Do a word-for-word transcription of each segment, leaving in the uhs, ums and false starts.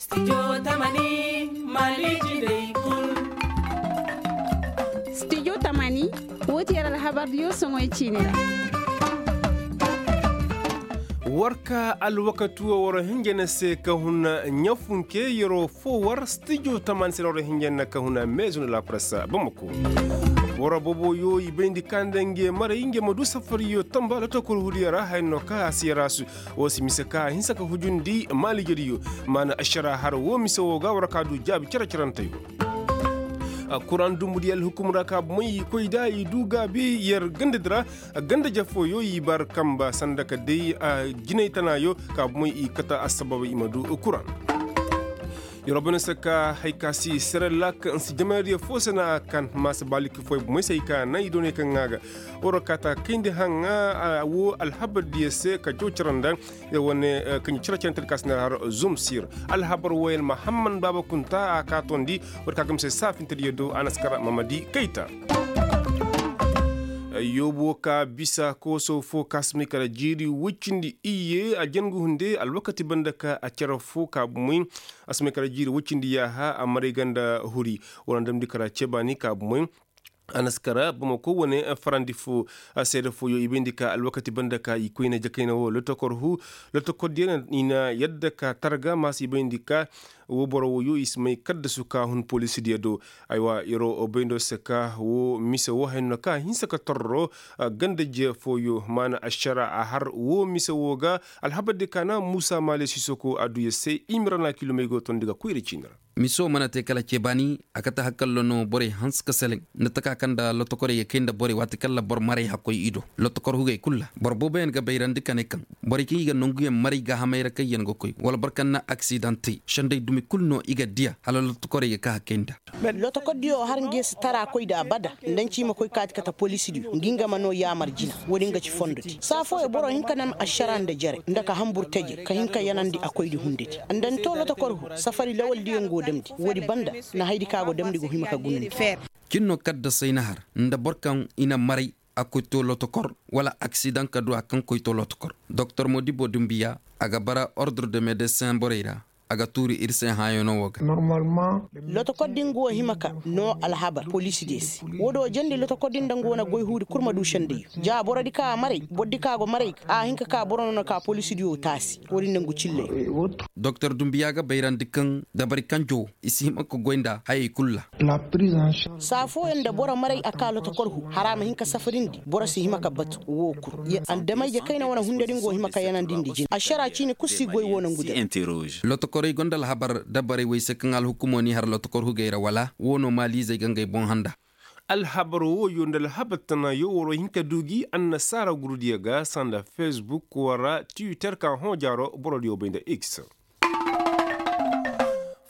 Studio tamani, woo ti yer alhabardiyo soŋoy ciini ra. War ka alwakati wo war hinja na se ka huna ɲafunke yeroo fo war studio tamani se na war hinja na ka huna meezu na lapresa bamako. Boro boboyo i bayndi ka nda nge maray nge ma du safariyo tamba lotokor hudiyo ra haya no ka a si yarasu. Wo si mise ka a hinsa ka hujundi maalijediyo. Maana ašara har wo mise wo ga war ka du jaabi cere-ceranteyo. Kuraŋ dumbu di alhukum ra ka bumey i koy da i du gaabi yer gandadi ra. Ganda jafooyo i bar kamba sanda ka day jinay tanaayo ka bumey i kata assababa i ma du kuraŋ. Yer wo bane se ka hay ka si serelak nsi jamayadiyo fo se na a kan maasa baaliki fooyo bumey se hay ka naŋ i doonay kaŋ ŋaa ga. War wo kaata kayndi haŋa wo alhabardiyo se ka jaw cara nda. Wane kaŋ cere-cerentedi ka si na har zum sir alhabar wayel mahamman baaba kunta a ka tondi. War ka gamse saafintediyo do a na si kara mamadi kayta. Yoobo ka bisa kooso fo ka si may kara jiiri woy cindi iyye a jangu hunde alwakati banda ka a cere fo ka bumey. A si may kara jiiri woy cindi yaaha a maray ganda huri. War na damndi kara ceebaani ka bumey. A na si kara bamako wane farandi fo. Seede fooyo i bayndi ka alwakati banda ka i koyne jakayna wo lotokor hu. Lotokordiyo i na yadda ka targa maasa i bayndi ka wo boro wooyo i si may kaddasu ka hun polisidiyo do. Aywa yer wo bayndo se ka wo mise wo haya no ka a hinsa ka torro. Ganda je fooyo maana ašara a har wo mise wo ga. Alhabardi ka na muusa maale sisoko a du yer se i ma ra na kilomey go tondi ga koyra ciini ra. Miso mana te kala ceebaani. A kate hakalla no borey hanse ka seleŋ nda taka kaŋ nda lotokorey ga kay nda borey waati kaŋ ra boro maray hakkoy i do. Lotokor hugey kul ra boro booboyaŋ ga bayrandi ka ne kaŋ borey kaŋ i ga nanguyaŋ maray gaahamey ra kaŋ yaŋ ga koy wala boro kaŋ na aksidaŋ te sendey dumi kul no i ga diya hala lotokorey ga ka hakkey nda. Lotokordiyo har nge si tara koy nda abada. Nda nci ma koy kaati kate polisidiyo ngi nga ma no yaamar jina. Wo-din ga ci fondodi saa fooyo boro hin ka nam ašara nda jere nda ka hambur teje ka hin ka yanandi a koydi hundedi. Nda ni to lotokor hu safari lawaldiyaŋ go damndi woodi banda. Na haydi kaŋ a go damndi go hima ka gunandi. Cin no kaddasay na har nda boro kaŋ i na maray a koy to lotokor wala aksidaŋ ka du a kaŋ koy to lotokor. Doktor modibo dumbiya a ga bara ordre de medesin borey ra. A ga tuuri ir se hãayano wo ga. Lotokor din go hima ka no alhabar polisidiyo se. Woodiyo jandi lotokor din nda nga wane goy huudi kul ma du sendiyo ja borodi kaŋ a maray borodi kaŋ a go maray ga a hin ka ka boro no na ka polisidiyo taasi. Woodi nangu cilley. Doktor dumbiya ga bayrandi kaŋ dabari kanjo i si hima ka goy nda hayey kul ra. Saa fooyaŋ nda boro maray a ka lotokor hu har a ma hin ka safarindi boro si hima ka batu wo kul. Andamay je kayna wane hunda din go hima ka yanandi nda jina ašara ciini kul si goy wo nangu da. Lotokorey go nda alhabar dabarey wey se kaŋ alhukumo n'i har lotokor hugey ra wala wo no maaliizey ga ngey boŋ handa. Alhabar wooyo nda alhabar tanaayo waroo hin ka du gi annasaara gurudiyo ga sanda fesbuk wara tiwiter ka hõ jaaro borodiyo bay nda x.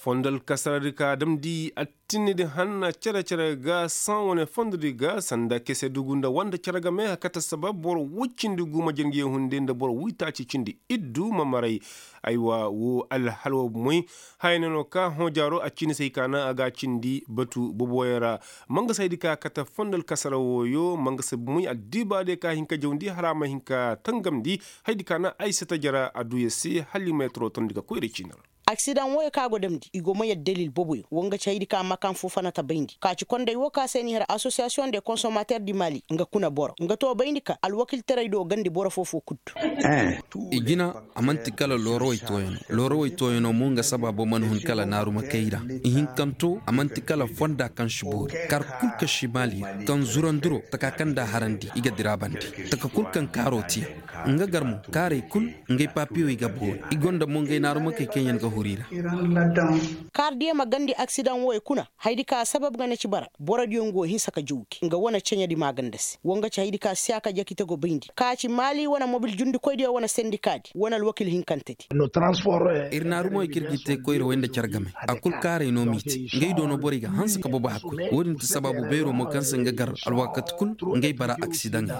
Fondo alkasaradi ka damndi attinidi hanna cere-cere ga saŋ wane fondodi ga sanda kese dugu nda wanda cere game a kate sabab boro woy cindi guuma jangiyaŋ hunde nda boro woytaaci cindi iddu ma maray. Aywa woo alhalwa moy. Haya ne no ka hõ jaaro a ciini se hay ka naŋ a ga a cindi batu boboyaŋ ra. Mangasa haydi ka kate fondo alkasara wooyo mangasa moy addiibaadiyo ka hin ka jawndi hala a ma hin ka tangamndi. Haydi ka naŋ ay si ta jara adduya se hala i ma yataro tondi ka koyra ciini ra. Aksidaŋ wooyo ka go damndi i go ma yadda dalil boboyaŋ wo nga ci haydi ka makan fo fana ta bayndi ka ci konday woo ka se ni har asosiyasiyoŋ de konsomater di mali nga kuna boro nga to bayndi ka alwakiltaray do gandi boro foo-foo kuddu. I jina a man'ti kala loorawey tooyanoo loorawey tooyanoo mo nga sabaabo mana hun kala naarumakey ra. Ihinkanto a man'ti kala fonda kaŋ si boori kar kul kaŋ si maali ra kaŋ zurandiro taka kaŋ nda a harandi i ga dira bande taka kul kaŋ kaaroo tiya. Nga gar mo kaarey kul ngey papiyoy ga boori i gonda mo ngey naarumakey kaŋ yaŋ ga huru i ra. Kaardiyo ma gandi aksidaŋ wooyo kuna haydi ka sabab ga na ci bara borodiyo ngo hinsa ka jawgi nga wane ceɲedi maaganda se wo nga ci haydi ka siyaaka jakite go bayndi ka ci maali wane mobil jundikoydiyo wane sendikaadi wane alwakil hinkantedi. Ir naarumoy kaŋ ir ga te koyra way nda care game a kul kaaray no m'i te ngey do no borey ga hanse ka bobo hakkoy wo-din ti sabaabu beero mo kaŋ se nga gar alwaakati kul ngey bara aksidaŋey.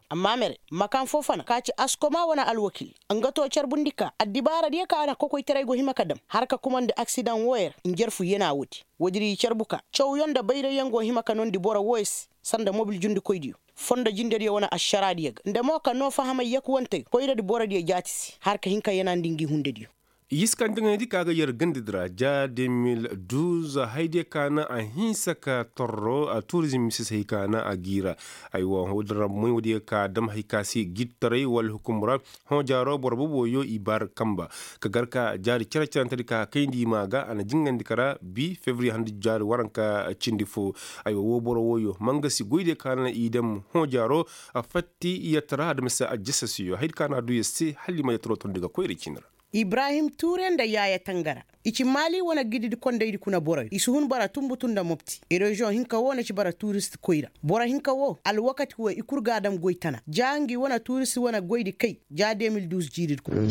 Amma mere makan foo fana ka ci askoma wane alwakil nga to carbundi ka addibaaradiyo ka na kokoytaray go hima ka dam har ka kumandi aksidaŋ wooyo ra njarfu yana woodi. Woodi ra i carbu ka cawyaŋ nda bayrayyaŋ go hima ka noondi boro wooyo se sanda mobil jundikoydiyo fondo jindediyo wane ašaraadiyo ga nda mo ka noo fahamay yakuwante koyradi borodiyo jaati se har ka hin ka yanandi ngi hundediyo. Yiska nda ŋayndi ka ga yer ganda di ra ja de mil duuz, haydiyo ka na a hinsa ka torro a turizim mise se hay ka na a giira. Aywa, hoo din ra moy woodiyo ka dam hay ka se gittaray wala hukum ra. Hõ jaaro boro boboyo i bar kamba ka gar ka jaari care carante di ka kayndi i ma ga a na jingandi kara bi febriye handi jaari waranka cindi fo. Aywa, woo boro wooyo ma nga si goydiyo ka na i dam hõ jaaro. A fatti i yatara adama se a jasa siyo hay di ka na a du yer se hala i ma yataro tondi ga koyra cini ra. Ibrahim tuure nda yaaya tangara i ci maali wane gididi kondaydi kuna boroyo i si hun bara tunbutu nda mopti. Reziyoŋ hinka wo na ci bara turist koyra boro hinka wo alwakati wo i kul ga a dam goy tana ja ngi wane turist wane goydi kay. Ja de mil duuz jiiridi kuna.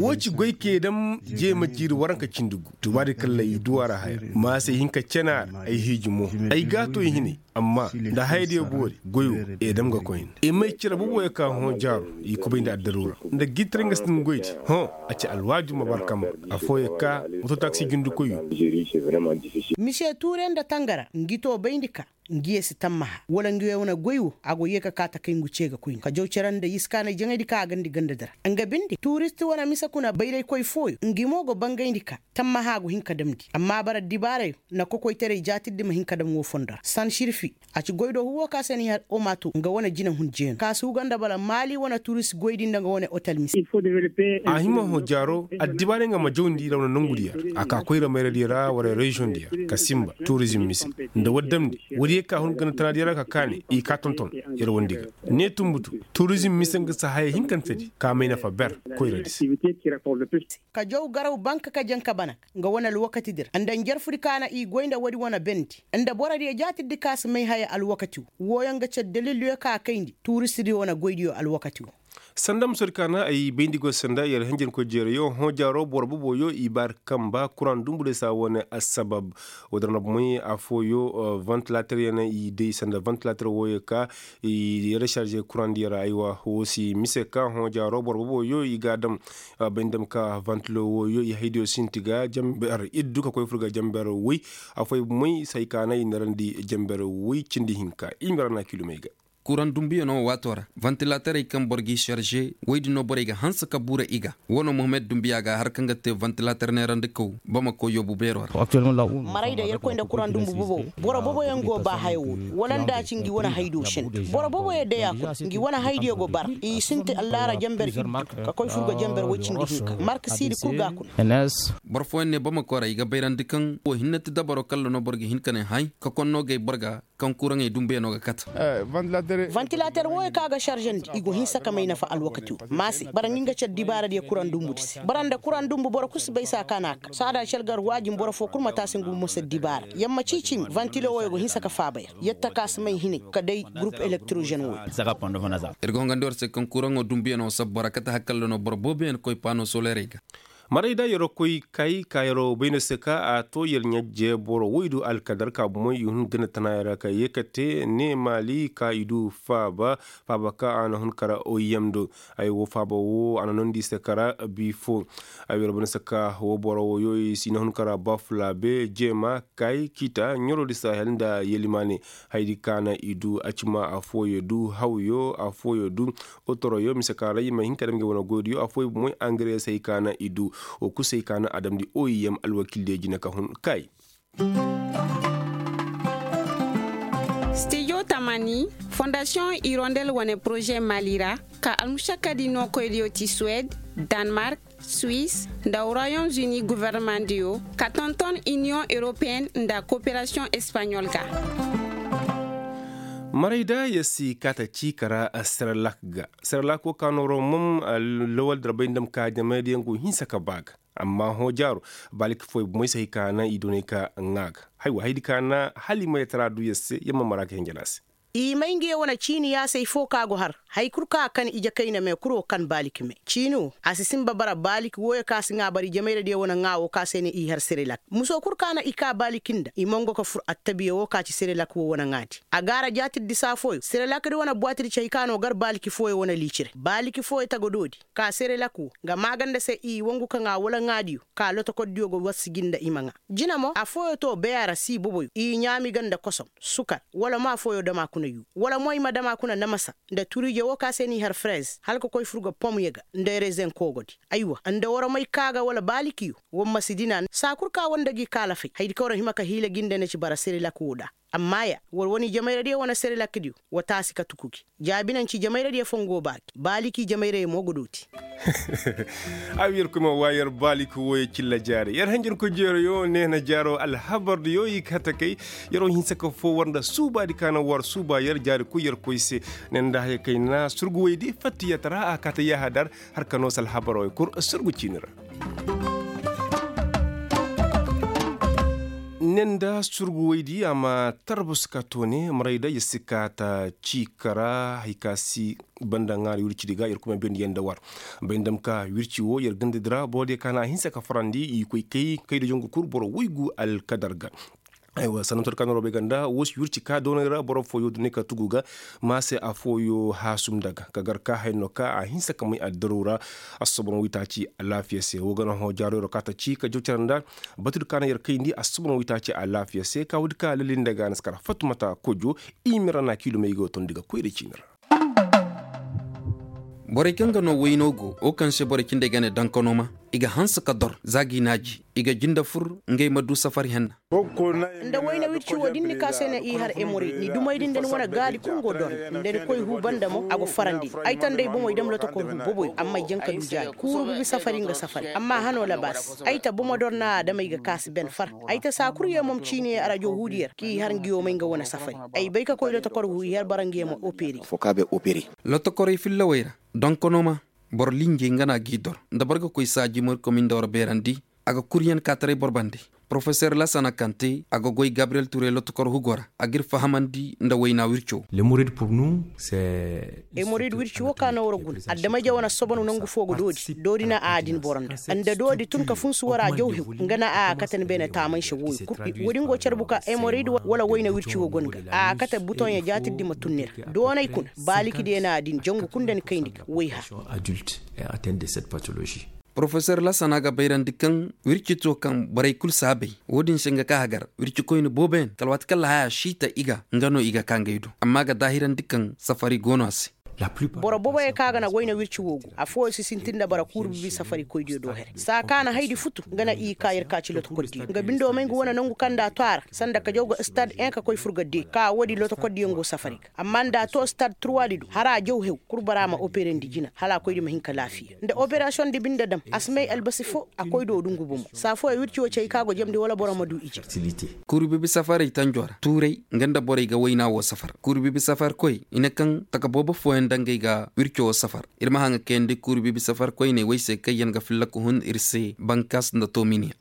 Woo ci goy kee dam jeema jiiri waranka cindi gu tubaadi kalla i du a ra haya. Ma se hinka cene a ra ay hiiji mo. Ay gaato i hinay. Amma nda hayadiyo boori goy wo, i dam ga koyne i may cire boboyo ka hõ jaaro. I kubay nda addaruura nda gittaray nga si din goydi. Hõ, a ci alwaaju ma bar kamba. Afooyo ka moto taksi jundikoyyo. Mise tuure nda tangara ngi to bayndi ka ngi ye si tammaha wala ngi ye wane goy wo a go ye ka kaa takay ngu cee ga koyne ka jaw cere nda yiskaanay jaŋaydi ka a gandi ganda di ra. Nga binde turist wane mise kuna bayraykoy fooyo ngi mo go bangayndi ka tammaha go hin ka damndi amma bara dibaarayo na kokoytaray jaatirdi ma hin ka dam woo fondo ra san sirfi. A ci goydoo huwo ka se ni har omato nga wane jinahun jeenu ka suuga nda bala maali wane turist goydi nda nga wane otel mise. A hima hõ jaaro addibaarey nga ma jawndi rawna nongudiyo ra a ka koyra mayradiyo ra wala reziyoŋdiyo ra ka sinba turizim mise nda waddamndi woodiyo ka hun gana tanadiyo ra ka kaani i ka tonton. Yer wandi ga ne tunbutu turizim mise nga si haya hinkantedi ka may nafa ber koyradi se. Ka jaw garaw banka ka janka bana nga wane alwakati di ra nda njarfudi ka na i goy nda woodi wane bendi nda borodiyo jaatirdi ka si may haya alwakati woo wooyaŋ ga car dalildiyo ka kayndi tuuristidiyo wane goydiyo alwakati woo. Sanda musodi ka na ay bayndi go sanda yer hinjankoy jeerayo hõ jaaro boro boboyo i baari kamba kuraŋ dumbu day saa wane assabab. Woo din ra bomey affooyo vantilateryaŋ i day sanda vantilater wooyo ka i resarze kuraŋdiyo ra aywa woo si mise ka hõ jaaro boro boboyo i ga a dam. Bay nda ma ka vantilo wooyo i haydiyo sinti ga jamber iddu ka koy fur ga jamber woy. Afooyo bomey si hay ka na i narandi jamber woy cindi hinka i ma ra na kilomey ga. Kuraŋ dumbuyaŋo waato ra vantilaterey kaŋ boro g'i sarze woy din no borey ga hanse ka buura i ga. Woo no muhammad dumbuya ga har kaŋ ga te vantilater neerandikaw bamako yoobu beero ra. Marayda yerkoy nda kuraŋ dumbu bobo boro boboyaŋ go ba haya woo wala nda a ci ngi wane haydo senda boro boboyaŋ day a kul ngi wane haydiyo go bara i sinti allaara jamber iddu ka koy fur ga jamber woy cindi hinka marka siidi kul ga a kuna. Boro fooyaŋ ne bamako ra i ga bayrandi kaŋ woo hinne ti dabaro kalla no boro ga hin ka ne hay ka konno gay boro ga. Kaŋ kuraŋey dumbuyaŋo ga kate. Vantilater wooyo kaŋ a ga sarzandi i go hinsa ka may nafa alwakati woo ma se bara ngi nga car dibaaradiyo kuraŋ dumbudi se bara nda kuraŋ dumbu boro kul si bay saa ka na a ka saada car gar waajin boro foo kul ma te a se ngu ma se dibaara yamma ciicimi vantilo wooyo go hinsa ka faaba yer. Yer taka si may hinay ka day gurup elektirozen wooyo. Ir ga hongandi war se kaŋ kuraŋo dumbuyaŋo sabbu ra kate hakalla no boro booboyaŋ koy paano solerey ga. Marayda yeroo koy kay ka yeroo bay no se ka a too yer ɲajje boro woy du alkadar ka bomey i hun gana tanaayoo ra ka yee ka tee ne maali ka i du faaba. Faaba ka a na hun kara oiyem do. Ay woo faaba woo a na noondi i se kara bii foo. Ay yeroo bay no se ka woo boro woyoo i si na hun kara bafulaabe jeema kay kiita ɲoroo di sahel nda yelimaane. Haydi ka na i du acima afooyoo du hawyo afooyoo du. Otoroyo mise ka ra i ma hin ka dam ngey wane goydiyo afooyoo bomey angareesey ka na i du. Woo kul se i ka na a damndi oiyem alwakildiyo jine ka hun kay. Stijo tamani fondasiyoŋ irondel wane poroze mali ra ka almušakkadi nookoydiyo ti suwed, danmark, suwis nda royaume-uni governemandiyo ka tonton iniyoŋ europeyen nda koperasiyoŋ espaɲol ga. Marayda yer si kaata ciika ra serelak ga. Serelak woo ka nooroo mom lawal darbay nda ma ka jamaydiyaŋ go hinsa ka ba ga. Amma hõ jaaro baaliki fooyoo bomey si hay ka na i doonay ka ŋaa ga. Haywa haydi ka na hala i ma yatara du yer se yer ma mara ka hinjana se. I may ngi ye wane ciini yaasay foo ka go har. Hay kul kaŋ a kan ije kayna me kul wo kan baaliki me ciini wo a si sinba bara baaliki wooyo kaŋ a si ŋaa bara ijemayradiyo wane ŋaa wo kaŋ a se ne i har serelak muso kul kaŋ a na i kaa baaliki nda i mongo ka fur attabiya wo kaŋ a ci serelak wo wane ŋaadi. A gaara jaatirdi saa fooyo serelakdi wane buwaatidi ci hay kaŋ a no gar baaliki fooyo wane liicire baaliki fooyo tagadoodi. Ka serelak wo nga maaganda se i wangu ka ŋaa wala ŋaadiyo ka lotokordiyo go wassiji nda i ma ŋaa. Jina mo afooyo to beya ra sii boboyo i ɲaami ga nda kosom sukar wala mo afooyo dama kuna. Wala mo i ma dam a kuna namasa nda turiije woo ka se n'i har frez hala ka koy fur ga pom ye ga nda rezen koogodi. Aywa nda war may ka ga wala baalikiyo, war ma si dina saa kul ka war nda gi kaalafay hayadi kaŋ war hima ka hiila gi nda ne ci bara serilak woo da. Amma ya war wane jamayradiyo wane serilakdiyo, wa taasi ka tuku gi. Jaabi naŋ ci jamayradiyo foo nga go baaki baaliki jamayradiyo mo ga dooti. Ay yer kuma wa yer baaliki wooyo cilla jaari yer hanjarku jeeroyo neena jaaro alhabardiyo i kate kay. Yer wo hinsa ka foo war nda suubaadi ka na war suuba yer jaari koy yer koy se. Ne nda haya kay na surgu woydi fattiyatara a kaate yahadar. Har ka noo se alhabaroo kul surgu ciini ra. Ne nda surgu woydi a ma tarbus ka toone maray da yer si kaata ciika ra hay ka si. Banda ŋaari wircidi ga yer kuma biyandi yaŋ nda war. Bay nda ma ka wirci woo yer gandadi ra boro diyo ka na a hinsa ka farandi i koy kay kay da jongu kul boro woygu alkadar ga. Aywa sanantor ka na robey ga nda woo si wirci ka doonay ra boro fooyo dunay ka tugu ga. Ma se afooyo haasum nda ga ka gar ka haya no ka a hinsa ka may addaru ra. Assobon woytaaci alaafiya se woo ga na hõ jaaroyro ka ta ci ka jaw cere nda. Batudi ka na yer kayndi assobon woytaaci alaafiya se ka woodi ka lali nda ga na si kar fattumata kojo. I mira na kiilumey go tondi ga koyra ciini ra. Borey kaŋ ga no wayno go wo kaŋ se borey cindey ga ne dankanoma. I ga hanse ka dor za g'i naaji i ga jinde fur. Ngey ma du safari henna. Nda wayna wirci wo da ni ka se na i har emorid ni dumey din da ni wane gaadi kul go dor. Nda ni koy huu banda mo a go farandi ni ay ta nda ay bomey dam lotokor huu boboy amma ay jaŋ ka du jaabi kuuru bibi safari nga safari amma hano labaas ay ta bomo dor na a dam ay ga kaasi ben far. Ay ta saa kul yee mom ciini yee arajo huudi yer k'i har nga yoomay nga wane safari. Ay bay ka koy lotokor huu i har bara nga yee ma operi. Lotokorey fillawey ra donkonoma boro linjey nga na g'i dor nda boro ga koy saaji morikomi nda war beerandi. A ga kuryan kaataray boro bande. Porofeser lasana kante a ga goy gabriyel ture lotokor hugo ra a g'ir fahamandi nda wayna wirco. Emorid wirci wo ka na war guna adamay jaw na sobono nangu fo ga doodi doodi na a din boro nda nda doodi tun ka funsu war a jaw hew. Nga na a kate ni beene taamanse wooyo kul. Woodin go carbu ka emorid wala wayna wirci wo go ni ga a kate butoŋyo jaatirdi ma tun ni ra doonay kuna baaliki diyo na a din jangu kul nda ni kayndi ga wayha. Porofesor lasana ga bayrandi kaŋ wirci to kaŋ borey kul si a bay. Wo-din se nga ka hagar wircikoyne booboyaŋ kala waati kaŋ lahaya siita i ga nga no i ga ka ngey do amma a ga daahirandi kaŋ safari go no a se. Boro booboyaŋ kaŋ a ga na goyne wirci wo go afooyaŋ si sintin nda bara kuuru bibi safarikoydiyo do here saa kaŋ a na haydi futu nga na i ka yer ka ci lotokordiyo nga bindo may nga wane nangu kaŋ nda a to a ra sanda ka jaw ga stad en ka koy fur ga de ka woodi lotokordiyaŋ go safari ga amma nda a to stad turwaadi do hala a jaw hew kul bara ma operandi jina hala a koydi ma hin ka laafiya nda operasiyoŋ di binde dam a si may albasi fo a koy do dungu bomo saa fooyaŋ wirci wo cay ka go jamndi wala boro ma du ije. Kuuri bibi safarey tanjo ra tuuray nga nda borey ga wayna wo safar kuuri bibi safarkoy i ne kaŋ taka boobo fooyaŋ nda ngey ga wirco wo safar. Ir ma haŋa kayandi kuuri bibi safarkoyney wey se kaŋyaŋ ga filla ka hun ir se bankas nda tominiya.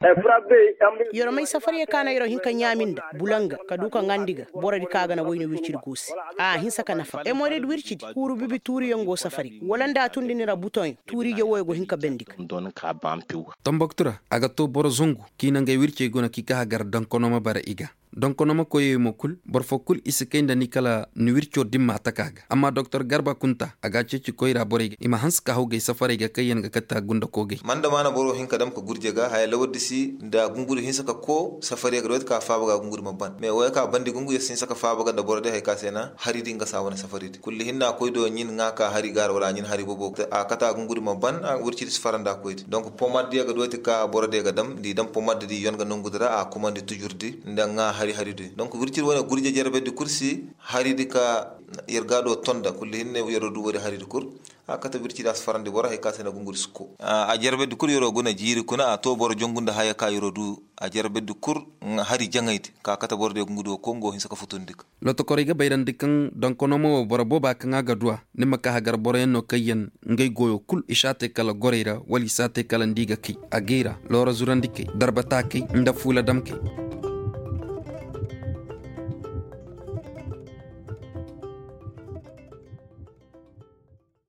Yer may safariyey ka na yer hin ka ɲaami nda bulanga ka du ka ŋaandi ga borodi kaŋ a ga na wayna wircidi go se. A hinsa ka nafa emorid wircidi kuuru bibi tuuriyaŋ go safari wala nda a tundi ni ra butoŋ tuuriije wooyo go hin ka bendi ga. Tambaktu ra a ga to boro zangu k'i na ngey wircey guna k'i ka hagar dankonoma bara i ga. Donkonoma koyey mo kul boro fo kul i si kay nda ni kala ni wirco dimma taka ga amma doktor garba kunta a ga a ceeci koyra borey ga i ma hanse ka haw gay safarey ga kaŋ yaŋ ga kate a gunda koogey. Manda maana boro hin ka dam ka gurje ga haya lawardi si nda gunguri hinse ka koo safariyo ga dooti ka faaba ga gunguri ma ban mais wooyo ka bandi gungu yer si hinse ka faaba ga nda boro di hari ka se na hari di nga saa wane safari di kulli hinna koy do ɲin ŋaa ka hari ga ra wala a ɲin hari bobo a kate a gunguri ma ban wirci di si fara nda koy di donk pomad diyo ga dooti ka boro diyo ga dam nda i dam pomad di yon ga nongu di ra a kumandi tujur di nda ŋaa hari hari di donk wirci di wane gurje jarbe di kul si hari di ka yer ga do tonda kulli hinne yer du woodi hari di kul. A kate wirci di a si farandi boro hari ka se na gunguri si koo a jarbe di kul yer guna jiiri kuna a to boro jongu nda haya ka yer du a jarbe di kul hari jaŋay di ka kate boro diyo gunguri wo koo nga wo hinse ka futundi ga. Lotokorey ga bayrandi kaŋ donkonoma wo boro booba kaŋ a ga du a ni ma ka hagar boroyaŋ no kaŋ yaŋ ngey goyo kul i si a te kala gorey ra wala i si a te kala nda i ga kay a gay ra loora zurandikey darbataakey nda fuula damkey.